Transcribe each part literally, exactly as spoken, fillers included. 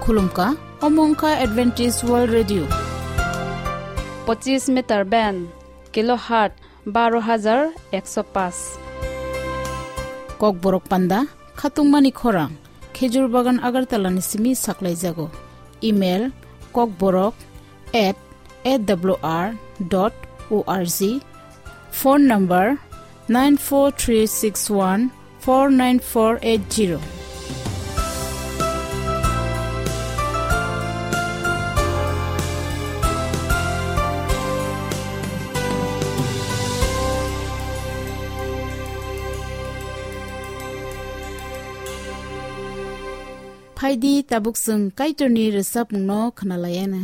Khulumkha, omo wngkha Adventist World Radio. Pochis meter band, kilohertz baro hajar ekso paanch. Kokborok panda, khatungmani khorang, Khejur Bagan Agartala ni simi saklaijago. Email, kokborok at A W R dot O R G. Phone number, nine four three six one four nine four eight zero. Phaidi tabuk chwng Kaitorni rwchapmungno khwnalaiyana.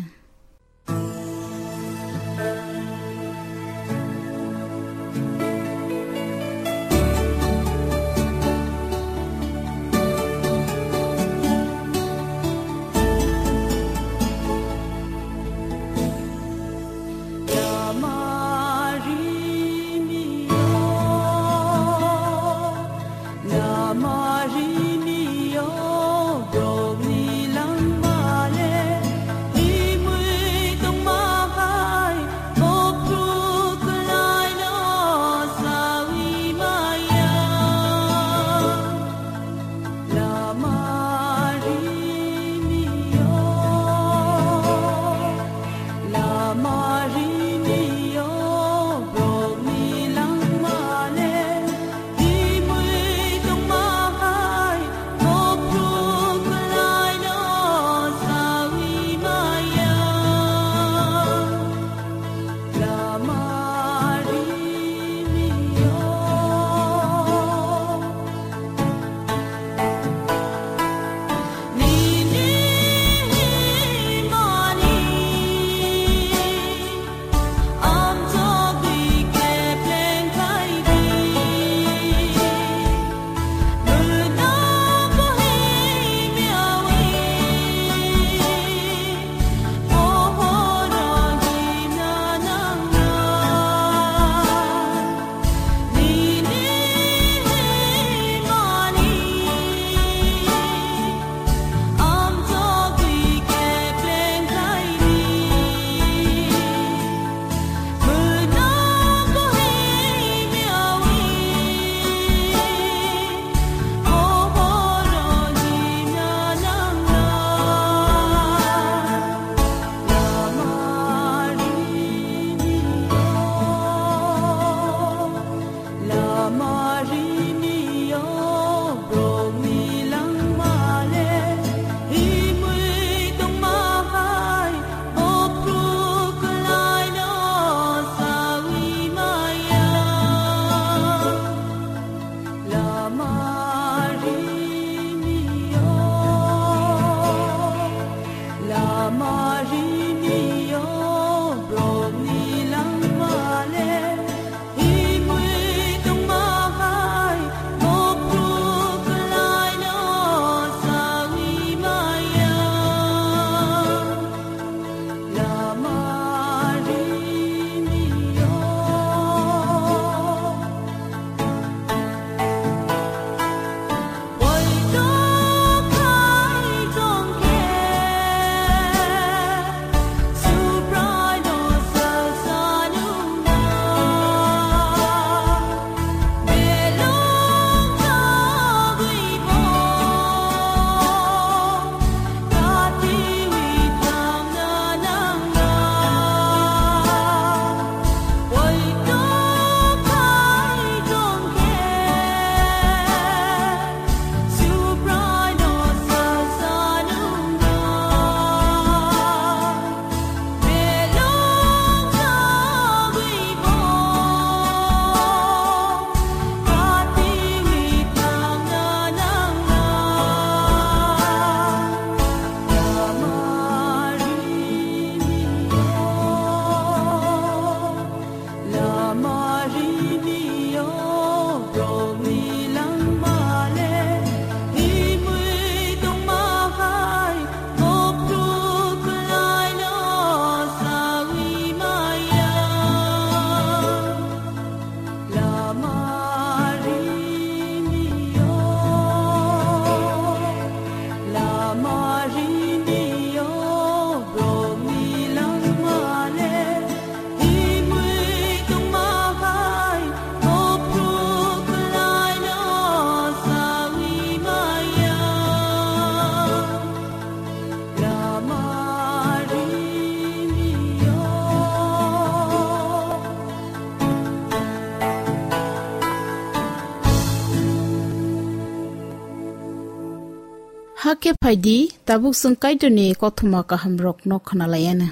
Hakhe phaidi, tabuk chwng Kaitorni kothoma kahamrokno khwnalaianw.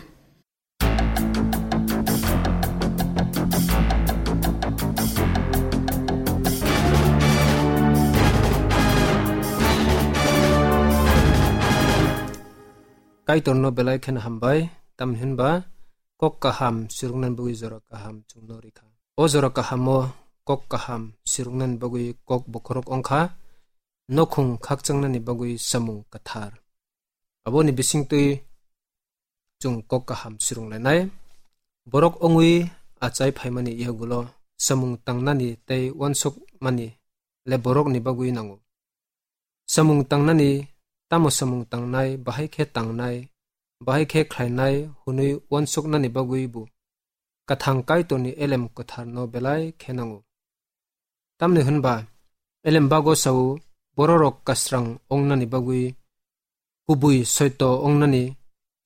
Kaitorno belai kheno hambai, tamni hwnba kok kaham sirwknani bagwi jora kaham chwngno rikha. O jora kahamo kok kaham sirwknani bagwi kok bokhorok wngkha, nokhung khakchangnani bagwi samung kwthar. Aboni bisingtwi chwng kok kaham sirwnglainai. Borok wngwi achai phaimani yagulo samung tangnani tei uansukmani le borokni bagwi nango. Samung tangnani, tamo samung tangnai, bahai khe tangnai, bahai khe khlainai hwnwi uansuknani bagwi bo Kathang Kaitorni elem kwtharno belai khe nango. Tamni hwnba, elem bago sao, bororok kasrang ongnani bagwi, kubui soito ongnani,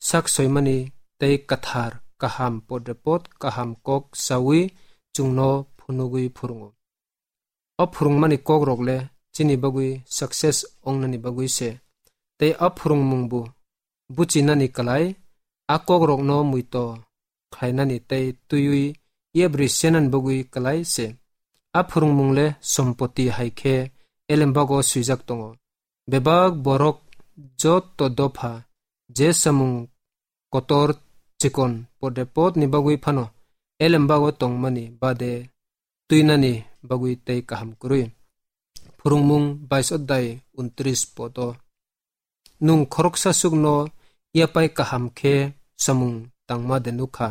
sak soimani tei kwthar, kaham, podrepot, kaham kok saui chwngno phunugwi phurungo. O phwrwngmani kokrok le chini bagwi success ongnani bagwi se, tei o phwrwngmung bo buchinani kwlai, a kokrokno muito khlainani tei twiwi yebri senani bagwi kwlai se. A phwrwngmung le sompoti hai khe elembago swijak tongo. Bebak borok joto dopha je samung kotor chikon podrepotni bagwi phano elembago tongmani bade twinani bagwi tei kaham kwrwi. Phwrwngmung bais odai untris poto. Nwng khoroksa sukno yapai kaham khe samung tangma de nukha.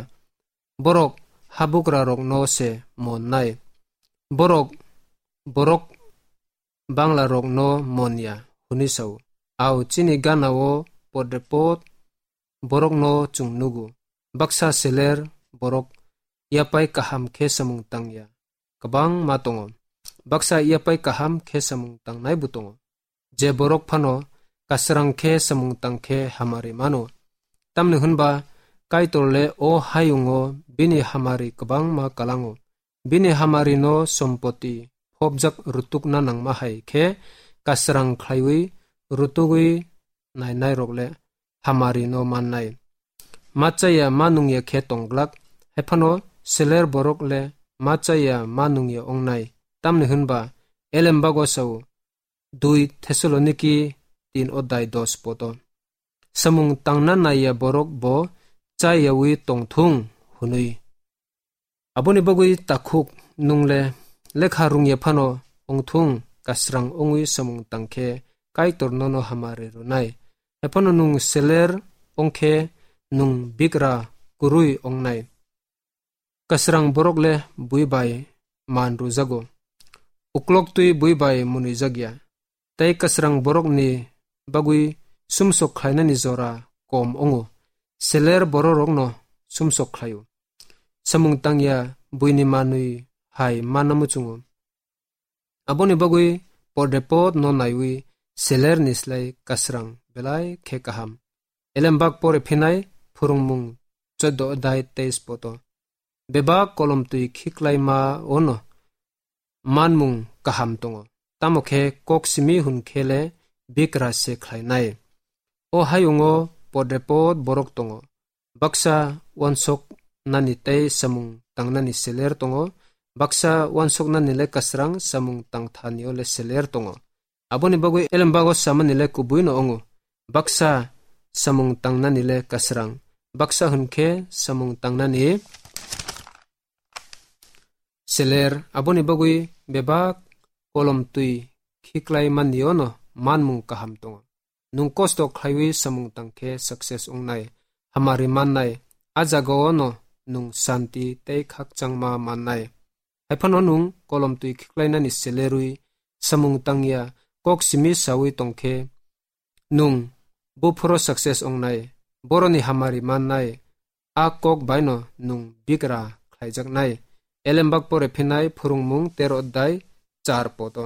Borok habugrarokno se monnai. Borok, borok banglarokno mon ya, hwnwi sao. Ao chini ganao podrepot borokno chwng nugo. Baksa seler borok yapai kaham khe samung tang ya. Kwbangma tongo. Baksa yapai kaham khe samung tangnai bo tongo. Je borok phano kasrang khe samung tang khe hamari mano. Tamni hwnba Kaitor le o hayungo bini hamari kwbangma kalango. Bini hamarino sompoti phobjak rutukna nangma hai khe kasrang khlaiwi rutugwi nainairok le hamarino mannai. Ma chaya ma nungya khe tongglak, hai phano seler borok le ma chaya ma nungya ongnai. Tamni hwnba elembago sao, dui Thessaloniki tin odai dos poto. Samung tangna naiya borok bo chayawi tongthung hwnwi. Aboni bagwi takhuk nung le lekha rungya phano wngthung, kasrang wngwi samung tang khe Kaitor nono hamari rwnai. Hai phano nung seler wng khe nung bigra kwrwi wngnai. Kasrang borok le bui bai man rwjago. Ukloktwi bui bai munwijak ya. Tei kasrang borokni bagwi sumsok khlainani jora kom wngo. Seler bororokno sumsok khlaio. Samung tangya buini manwi hai manna muchungo. Aboni bagwi podrepot no naiwi selerni slai kasrang belai khe kaham. Elembak pore phinai phwrwngmung choddo odai teis poto. Bebak kolomtwi khiklaima ono manmung kaham tongo, tamo khe kok simi hwn khe le bikra se khlainai. O hayungo podrepot borok tongo, baksa uansok nani tei samung tangnani seler tongo, baksa uansok nani le kasrang samung tangthani o le seler tongo. Aboni bagwi elembago samani le kubui no wngo, baksa samung tangnani le kasrang, baksa hwn khe samung tangnani seler. Aboni bagwi bebak kolomtwi khiklai manni o no manmung kaham tongo. Nwng kosto khlaiwi samung tang khe success wngnai, hamari mannai, a jagao no nwng santi tei khakchangma mannai. Hai phano nwng kolomtwi khiklainani selerwi samung tangya kok simi sawi tong khe nwng buphuru success wngnai, boroni hamari mannai, a kok baino nwng bigra khlaijaknai. Elembak pore phinai phwrwngmung tero odai char poto.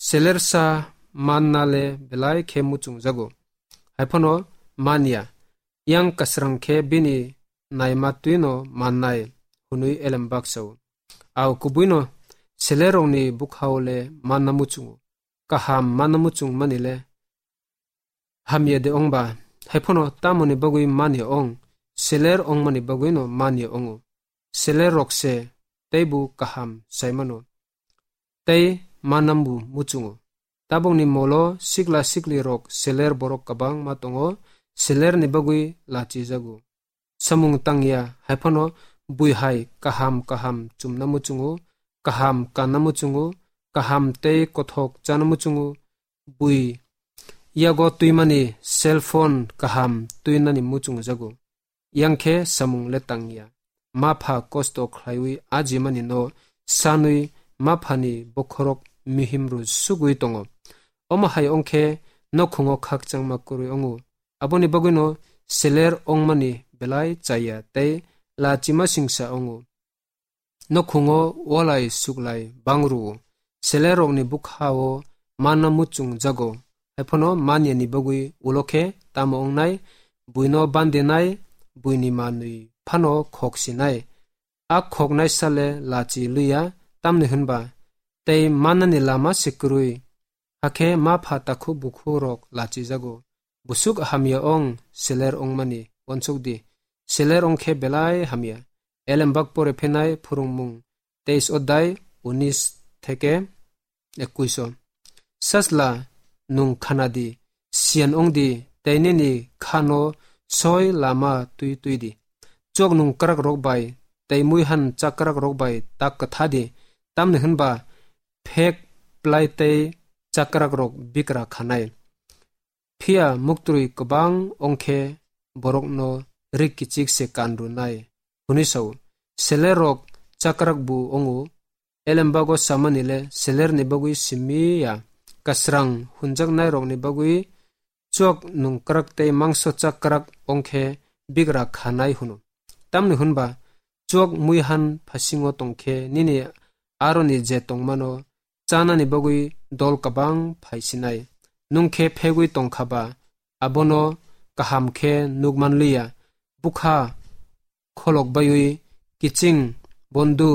Selersa manna le belai khe muchungjago. Haiphano manya, yang kasrang khe bini naima twino mannai, hwnwi elembak sao. Au kubuino selerrokni bukhao le manna muchungo. Kaham manna muchung mani le hamya de ongba, haiphano tamoni bagwi manya ong, seler ongmani bagwino manya ongo. Seler rok se teibo kaham saimano, tei manambo muchungo. Tabokni molo sikla sikli rok seler borok kwbangma tongo, selerni bagwi lachijago. Samung tangya, haiphano bui hai kaham kaham chumna muchungo, kaham kanna muchungo, kaham tei kothok chana muchungo, bui yago twimani cell phone kaham twinani muchungjago. Yang khe samung le tangya. Ma pha kosto khlaiwi ajimani no sanwi ma phani bokhorok mihim rw sugwi tongo. Omo hai ongkhe nokhungo khakchangma kwrwi ongo. Aboni bagwino seler ongmani belai chaya tei lachima singsa ongo. Nokhungo walai suklai bangru. Selerrokni bukhao manna muchung jago. Haiphano manyani bagwi ulo khe tamo ongnai, buino bandinai, buini manwi phano khok sinai. A khoknai sale lachi luya, tamni hwnba tei mannani lama se kwrwi. Hakhe ma pha takhuk bukhu rok lachijago. Busuk hamya ong, seler ongmani uansuk di. Seler ongkhe belai hamya. Elembak pore phenai phwrwngmung teis odai unis theke ekuiso. Sasla nung khana di, siyan ong di, tei nini khano soi lama twi twi di. Chok nung krak rok bai tei muihan chakrak rok bai tak kwtha di, tamni hwnba phek plai tei chakrak rok bikra khanai. Phiya muktrwi kwbang ongkhe borokno rik kichik se kan rwnai, hwnwi sao. Seler rok chakrak bu ongo, elembago samani le selerni bagwi simi ya, kasrang hunjaknai rokni bagwi chwk nungkrak tei mangso chakrak ongkhe bigra khanai hwno. Tamni hwnba chwk muihan phasingo tongkhe nini aroni je tongmano chanani bagwi dol kabang phaisinai. Nungkhe phegwi tongkha ba, abono kaham khe nukman liya. Bukha kholok baiwi kiching, bondu,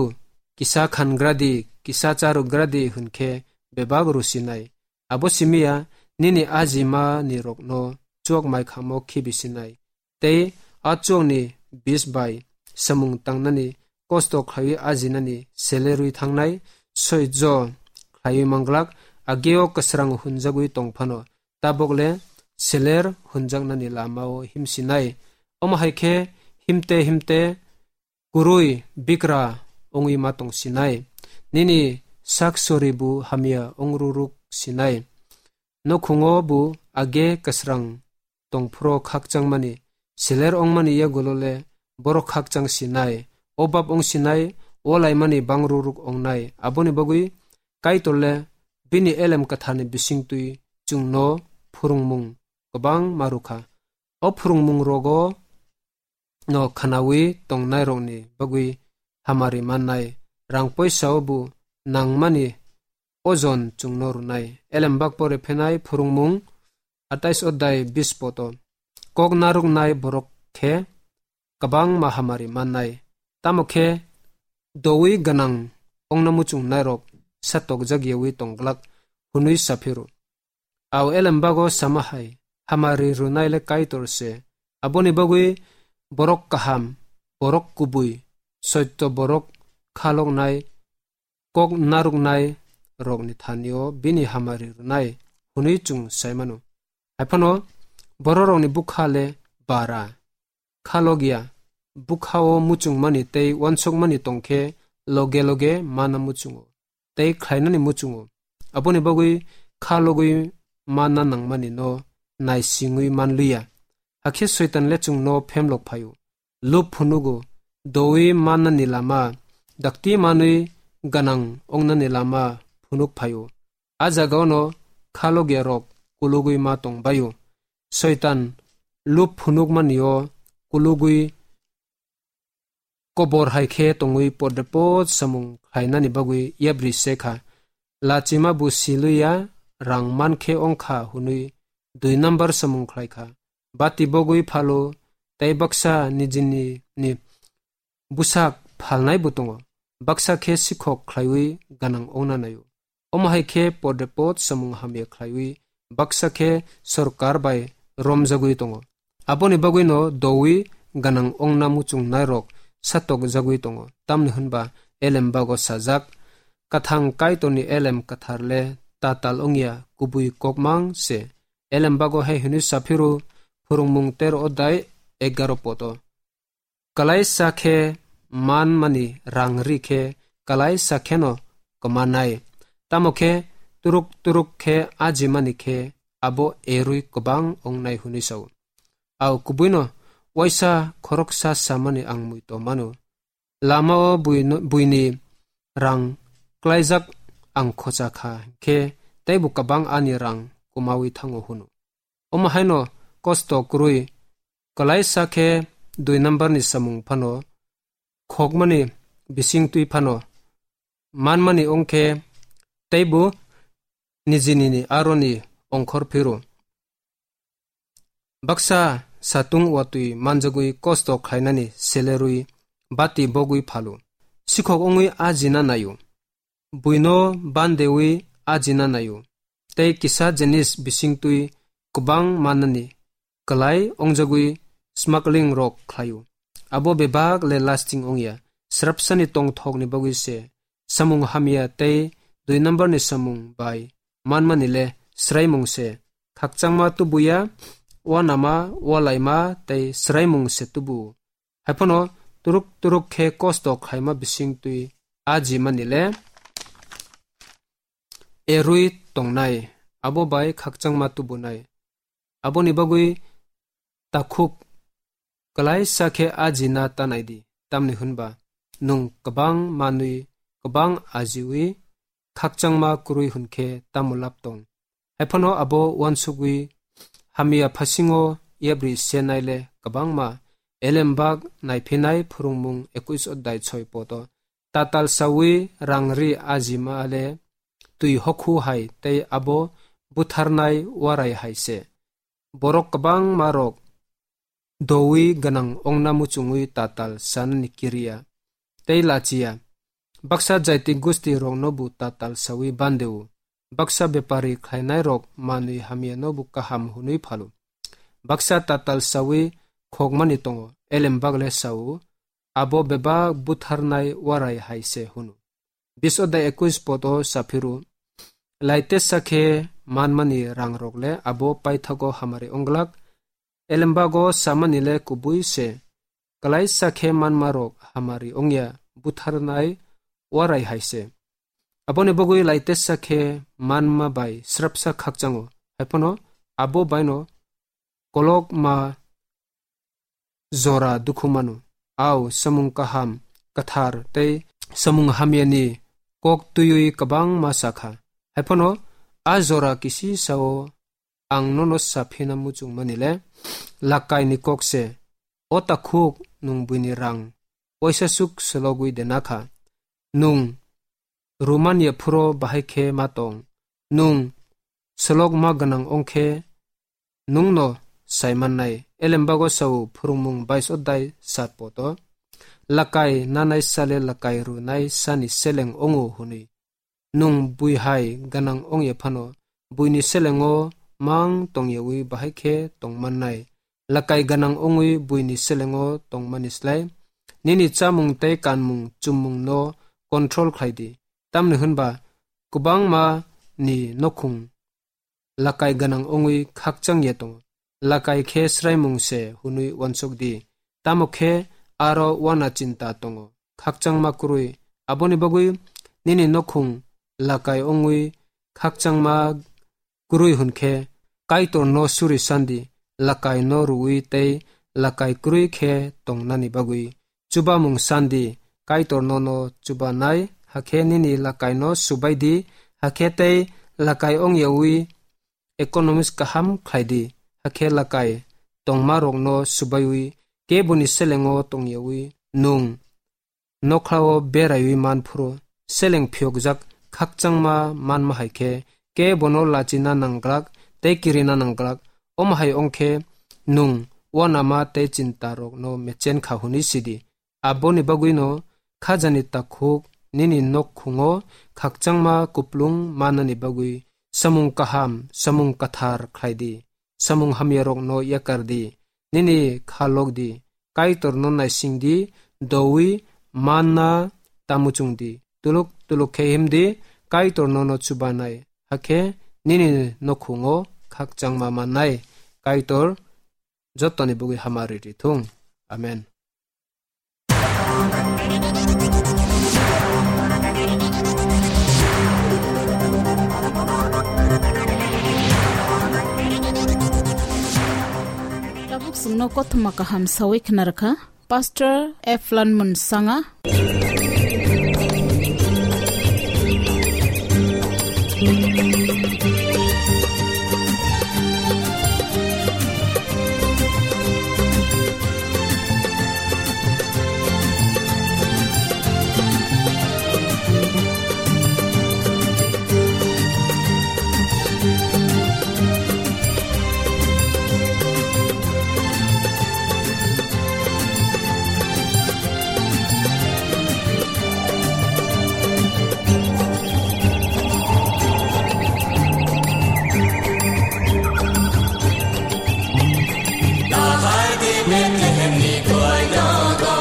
kisa khangradi, kisa charugradi hwnkhe bebak rusinai. Abo simiya nini ajimani rokno chwk maikhamo khibisinai. Tei a chwkni bis bai samung tangnani kosto khlaiwi ajinani selerwi thangnai soijo khlaiwi manglak, ageo kwsrang hunjagwi tongphano, tabokle seler hunjaknani lamao himsinai. Omo hai khe himte himte kwrwi bikra wngwi ma tongsinai. Nini sak soribu hamya wngruruk sinai. Nokhungo bu age kwsrang tongphuru khakchangmani, seler wngmani yagulo le borok khakchang sinai, obab wng sinai, o laimani bangruruk wngnai. Aboni bagwi Kaitor le bini elem kwtharni bisingtwi chwngno phwrwngmung kwbang ma rwkha. O phwrwngmung rogo no khwnawi tongnairokni bagwi hamari mannai, rang poisao bo nangmani ojon chwngno rwnai. Elembak pore phenai phwrwngmung atais odai bis poto. Kok narwknai borok khe kwbangma hamari mannai, tamo khe doui gwnang ongna muchungnairok satokjakyawi tongglak hwnwi saphiro. Au elembago sama hai, hamari rwnai le Kaitor se. Aboni bagwi borok kaham, borok kubui, soito borok khaloknai, kok narwknai rokni thanio bini hamari rwnai hwnwi chwng sai mano. Haiphano bororokni bwkha le bara, khalokya, bwkhao muchungmani tei uansukmani tongkhe loge loge mana muchungo tei khlainani muchungo. Aboni bagwi khalogwi mana nangmani no naisingwi manliya. Hakhe Soitan le chwngno phemlok phaio. Lub phunugo, doui mannani lama, dakti manwi gwnang wngnani lama phunuk phaio. A jagao no khalogya rok kulugwi ma tong baio. Soitan lub phunukmani-o kulugwi kobor hai khe tongwi podrepot samung khlainani bagwi yapri se kha. Lachima bo silwi ya, rang man khe ong kha hwnwi dui number samung khlai kha. Bati bogwi phalo tei baksa nijini ni bwsak phalnai bo tongo. Baksa khe sikhok khlaiwi ganang ongna naio. Omo hai khe podrepot samung hamya khlaiwi baksa khe sorkar bai romjagwi tongo. Aboni bagwino dowi ganang ongna muchungnairok satokjagwi tongo. Tamni hwnba elembago sajak, Kathang Kaitorni elem kwthar le tatal wngya, kubui kokmang se. Elembago hai hwnwi saphiru, Phwrwngmung tero odai egaro poto. Kalaisa khe manmani rang ri khe kalaisa kheno kwmanai. Tamo khe turuk turuk khe ajimani khe abo erui kwbang ongnai hwnwi sao. Au kubuino waisa khoroksa samani ang muito mano. Lamao buino, buini rang klaijak ang khocha kha khe teibo kwbang ani rang kumawi thango hwno. Omo haino kosto kwrwi, kalaisa khe dui number ni samung phano khokmani bising twi phano manmani ongkhe teibo nijini ni aroni ongkhor phiru. Baksa satung watwi manjagwi kosto khlainani selerwi bati bogwi phalu. Sikhok wngwi ajina naio. Buino bandewi ajina naio. Tei kisa jenis bisingtwi kwbang manani kwlai ongjagwi smuggling rok khlaio. Abo bebak le lasting ongya. Srapsani tongthokni bagwi se samung hamya tei dui number ni samung bai manmani le sraimung se. Khakchangma tubuya, wanama, walaima tei sraimung se tubu. Haiphano turuk turuk khe kosto khlaima bisingtwi ajimani le erui tongnai, abo bai khakchangma tubunai. Aboni bagwi takhuk kalaisa khe ajina tanai di, tamni hwnba nwng kwbang manwi kwbang ajiwi khakchangma kwrwi hwn khe tamo lab tong? Haiphano abo uansugwi hamya phasingo yapri se naile kwbangma. Elembak naiphinai Phwrwngmung ekuis odai soi poto. Tatal sawi rang ri ajima le twi hokhu hai tei abo butharnai warai hai se. Borok kwbangma rok dowi gwnang ongna muchungwi tatal sanani kiriya tei lachiya. Baksa jaiti gusti rokno bo tatal sawi bandeo. Baksa bepari khlainai rok manwi hamya no bo kaham hwnwi phalo. Baksa tatal sawi khokmani tongo, elembak le sao, abo bebak butharnai warai hai se hwno. Bis odai ekuis poto saphiru, laitesa khe manmani rang rok le abo paithago hamari onglak, elembago samani le kubui se, kalaisa khe manma rok hamari ongya butharnai warai hai se. Aboni bagwi laitesa khe manma bai srapsa khakchango, haiphano abo baino kolokma jora dukhu mano. Au samung kaham, kwthar tei samung hamyani kok twiwi kwbangma sakha. Haiphano a jora kisi sao ang nono saphina muchungmani le lakai ni kok se. O takhuk, nwng buini rang waisa suk selogwi dena kha. Nwng rumani phuro bahai khe ma tong. Nwng selok ma gwnang ong khe nwng no sai mannai. Elembago sao Phwrwngmung bais odai sat poto. Lakai nanai sale lakai runai sani seleng ongo hwnwi. Nwng bui hai gwnang ongya phano buini selengo mang tongyawi bahai khe tongmannai. Lakai gwnang ongwi buini selengo tongmani slai nini chamung tei kanmung chummung no control khlai di. Tamni hwnba kwbangma ni nokhung lakai gwnang ongwi khakchang ya tongo. Lakai khe sraimung se hwnwi uansuk di, tamo khe aro uana chinta tongo, khakchangma kwrwi. Aboni bagwi nini nokhung lakai ongwi khakchangma kwrwi hwn khe, Kaitor no suri sandi, lakai no rwui tei lakai kwrwi khe tongnani bagwi. Chubamung sandi, Kaitor nono chubanai, hakhe nini lakai no subai di, hakhe tei lakai ongyawi economics kaham khlai di, hakhe lakai tongmarokno swbaiwi keboni selengo tongyawi nwng nokhlao beraiwi man phuru seleng phiyokjak khakchangma manma hai khe kebono lachina nangglak tei kirina nangglak. Omo hai wng khe nwng uanama tei chintarokno mechen kha hwnwi sidi. Aboni bagwino khajani takhuk nini nokhungo khakchangma kuplung manani bagwi samung kaham, samung kathar khlai di. Samung hamyarokno yakar di. Nini kha lok di. Kaitorno naising di, dowi manna ta muchung di. Tuluk tuluk khe him di, Kaitor nono chubanai. Hakhe nini nokhungo khakchangma mannai. Kaitor jotoni bagwi hamari rithung. Amen. Tabuk chwngno kothoma kaham sawi khna rwkha Pastor Eflan Munsanga. Nahar di Bethlehem ni koinogo,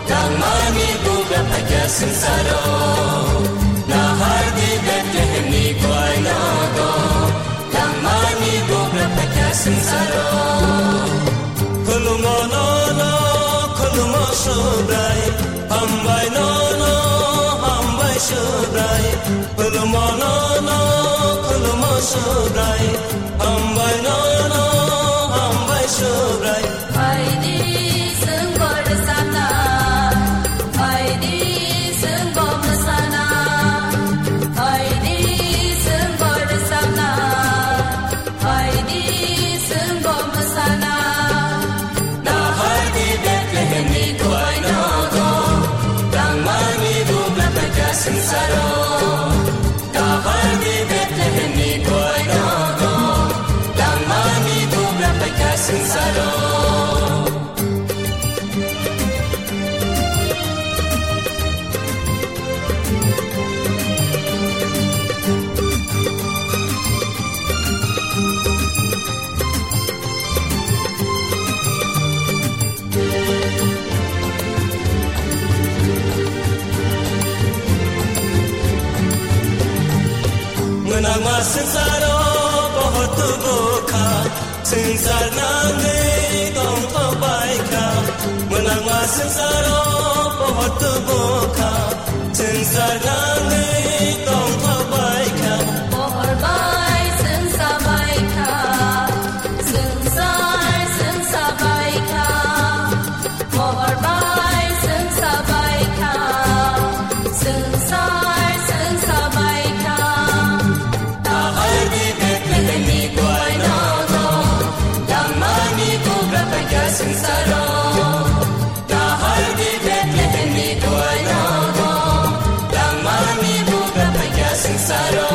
tangmani bugra phaikha swngcharo. Nahar di Bethlehem ni koinogo, tangmani bugra phaikha swngcharo. Khulumo nono, khulumo Subrai, hambai nono, hambai Subrai. Khulumo nono, khulumo Subrai, hambai nono, hambai Subrai. Phaidi chwng borjana, phaidi chwng bomsana, phaidi chwng borjana, phaidi chwng bomsana. Nahar di Bethlehem ni koinogo, tangmani bugra phaikha swngcharo. Nahar di Bethlehem ni koinogo, tangmani bugra phaikha swngcharo. Mwnangma swngcharo pohor tubu kha, swngchar nangwi tongthok bai kha. Mwnangma swngcharo pohor tubu kha, swngchar nangwi tongthok bai kha. Pohor bai swngcha bai kha, swngchar swngcha bai kha. Pohor bai swngcha bai kha, swngchar swngcha bai kha. Nahar di Bethlehem ni koinogo, tangmani bugra phaikha swngcharo. Nahar di Bethlehem ni koinogo, tangmani bugra phaikha swngcharo.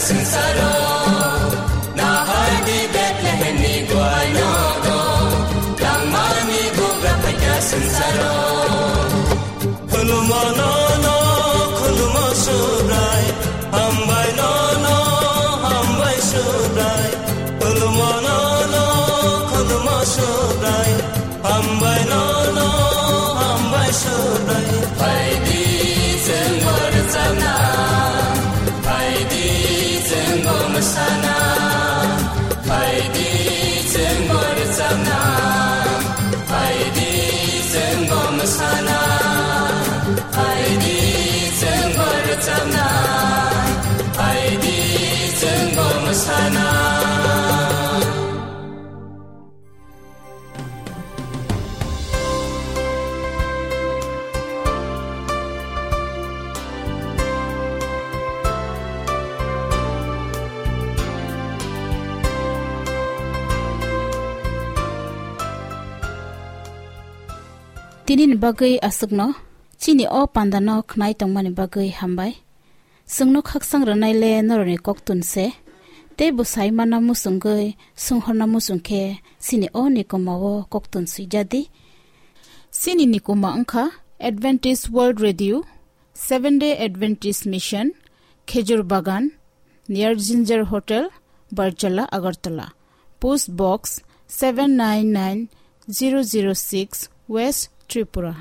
Swngcharo, nahar di Bethlehemni guaino do, langmani bugra phaikha swngcharo. Khulumo nono, khulumo Subrai, hambai nono, hambai Subrai. Khulumo nono, khulumo Subrai, hambai nono, hambai Subrai. Phaidi chwng bo rwchapna, phaidi chwng bo mwsana, phaidi chwng bo rwchapna, phaidi chwng bo mwsana, phaidi chwng bo rwchapna, phaidi chwng bo mwsana. Tini ni bagwi aswkno, chini o pandano khnai tongmani bagwi hambai. Chwngno khaksang rwnai le norokni koktun se, tei bwsai manna muchungwi swnghorna muchung khe chini o nikoma o koktun swijadi. Chini nikoma wngkha Adventist World Radio, Seven Day Adventist Mission, Khejur Bagan, near Ginger Hotel, Barjala, Agartala. Post Box seven nine nine zero zero six, West Tripura.